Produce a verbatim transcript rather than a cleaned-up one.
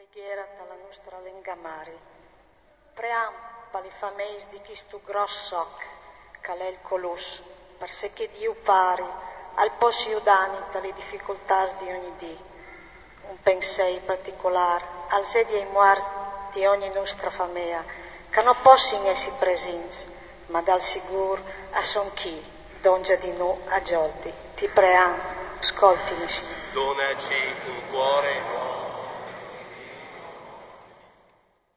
Preghiera ta la nustra lenga mari. Pream pa li fameis di chistu gros soc, ch'al è il colus, parcè che Diu pari al pos judani ta li dificultàs di ogni dì. Un pensei particolar al zedi ai muarts di ogni nustra famea, che no possin essi presints, ma dal sigur a son chi, dongia di nu a giolti. Ti pream, scoltini, Signur. Donaci un cuore